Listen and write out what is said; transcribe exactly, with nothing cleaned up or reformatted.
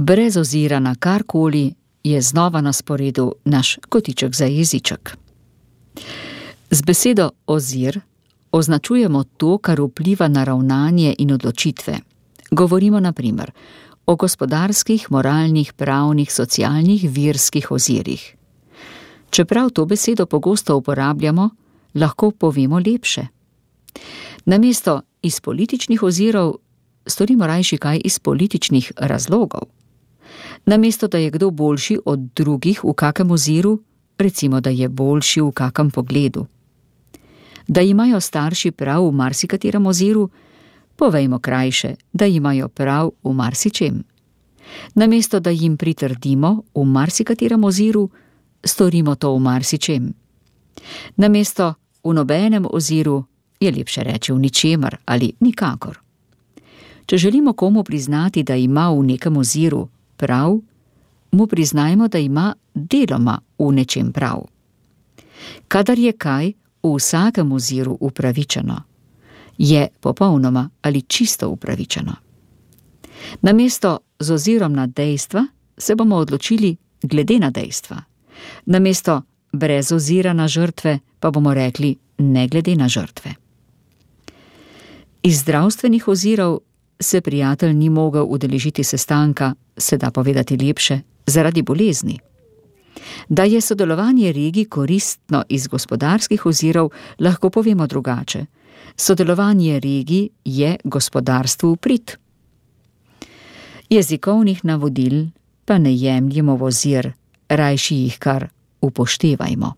Brez ozira na karkoli je znova na sporedu naš kotiček za jeziček. Z besedo ozir označujemo to, kar vpliva na ravnanje in odločitve. Govorimo na primer o gospodarskih, moralnih, pravnih, socialnih, verskih ozirih. Čeprav to besedo pogosto uporabljamo, lahko povemo lepše. Namesto iz političnih ozirov storimo rajši kaj iz političnih razlogov. Namesto, da je kdo boljši od drugih v kakem oziru, recimo, da je boljši v kakem pogledu. Da imajo starši prav v marsikaterem oziru, povejmo krajše, da imajo prav v marsičem. Namesto, da jim pritrdimo v marsikaterem oziru, storimo to v marsičem. Namesto v nobenem oziru je lepše reči v ničemer ali nikakor. Če želimo komu priznati, da ima v nekem oziru prav, mu priznajmo, da ima deloma v nečem prav. Kadar je kaj v vsakem oziru upravičeno, je popolnoma ali čisto upravičeno. Namesto z ozirom na dejstva se bomo odločili glede na dejstva. Namesto brez ozira na žrtve pa bomo rekli ne glede na žrtve. Iz zdravstvenih ozirov se prijatelj ni mogel udeležiti sestanka, se da povedati lepše, zaradi bolezni. Da je sodelovanje regij koristno iz gospodarskih ozirov, lahko povemo drugače. Sodelovanje regij je gospodarstvu v prid. Jezikovnih navodil pa ne jemljemo v ozir, rajši jih kar upoštevajmo.